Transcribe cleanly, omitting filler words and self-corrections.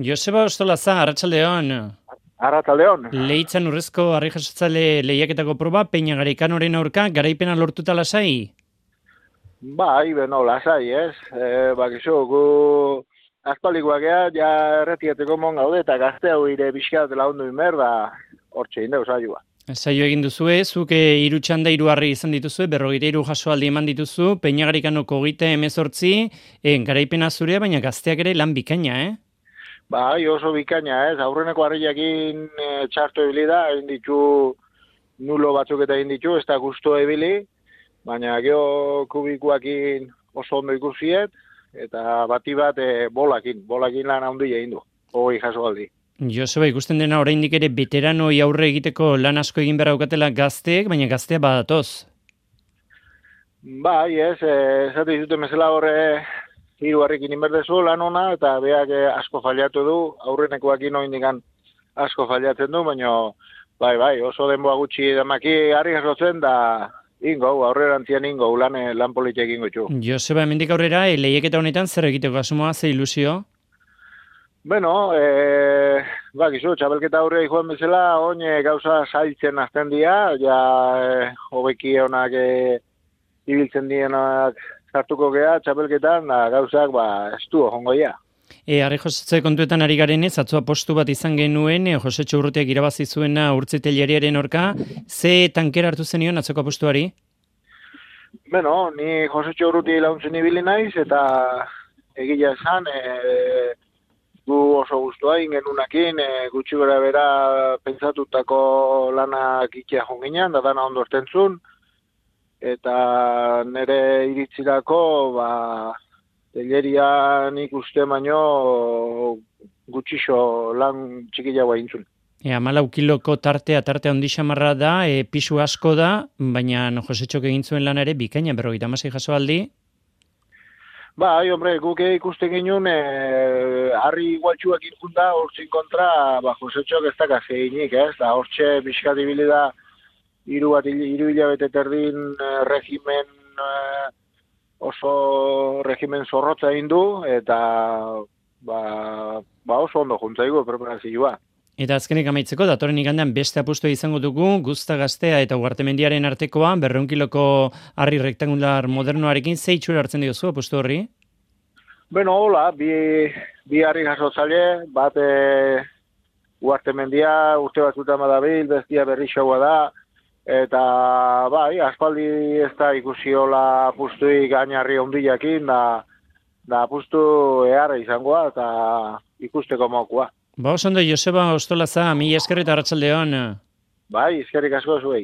Joseba Ostolaza, arratsaldeon. Arratsaldeon. Leitzan urrezko harri jasotzale lehiaketako proba, Peña Garaikanoren aurka, garaipena lortuta lasai? Bai, beno, lasai, ez? Bakizu, gu aspaldikoak ja erretieteko mon gaude, eta gazte hau ire pixkat lagundu inber, da hortxe indeu saioa. Saio egin duzue, zuke hiru txanda hiru harri izan dituzue, 43 jasoaldi eman dituzu, Peña Garaikanoko 38, garaipena zurea, baina gazteak ere lan bikaina, Bai, oso bikaina, ez? Aurreneko harriakin txarto ibili da, egin ditu nulo batzuk eta egin ditu, ez da gusto ibili, baina geho kubikoakin oso ondo ikusiet, eta bati bat bolakin lan handi egin du, hogei jasoaldi. Joseba, ikusten dena oraindik ere veteranoi aurre egiteko lan asko egin behar aukatela gazteek, baina gaztea badatoz. Bai, ez, esate dizute mesela horre hiru harrikin inberdezu lan ona, eta beak asko fallatu du, aurrenekoakin oindikan asko fallatzen du, baina bai, oso denboa gutxi damaki harri jasotzen, da aurrerantzian ingo, lan politek ingo txu. Joseba, hemendik aurrera, lehiaketa honetan zer egiteko asmoa, ze ilusio? Bueno, bakizu, txabelketa aurre joan bezala, oin gauza zailtzen azten dira, hobeki honak ibiltzen dienak sartuko gea, txabelketan, gauzak, ez du, jongo ja. Harri josatze kontuetan ari garenez, atzoa postu bat izan genuen, Josetxo Urrutiak irabazi zuena urtziteliariaren orka, ze tankera hartu zenion atzoko postuari? Bueno, ni Josetxo Urruti launtzen ibili naiz, eta egia esan, gu oso guztua ingenunakin, gutxi gara bera pentsatutako lanak ikia jonginan, da dana ondo ertentzun, eta nire iritzirako, telerian ikuste baino gutxixo lan txikiagoa intzun. 14 kiloko tarte handi xamarra da, pisu asko da, baina Josetxok egin zuen lan ere bikaina 56 jasoaldi. Bai, hombre, guk ikusten ginen, harri igualtxuak injunda, hortzin kontra, Josetxok ez dakaz eginik, ez? Da, hortxe pixkat ibili da, hiru hilabete terdin regimen, oso regimen zorrotza egin du, eta oso ondo juntzaigu preparazioa. Eta azkenik amaitzeko, datorren igandean beste apustu izango dugu, Guzta Gaztea eta Ugartemendiaren artekoa, 200 kiloko harri rektangular modernoarekin, ze itxura hartzen diozu apustu horri? Bueno, hola, bi harri jasotzale, bat Ugartemendia urte batzutan badabil, bestia berri xaua da, eta bai, aspaldi ez da ikusi hola apustuik gainarri ondilakin, da apustu eharra izangoa, eta ikusteko mokoa. Oso ondo, Joseba Ostolaza, mila esker eta arratsaldeon. Bai, eskerrik asko zuei.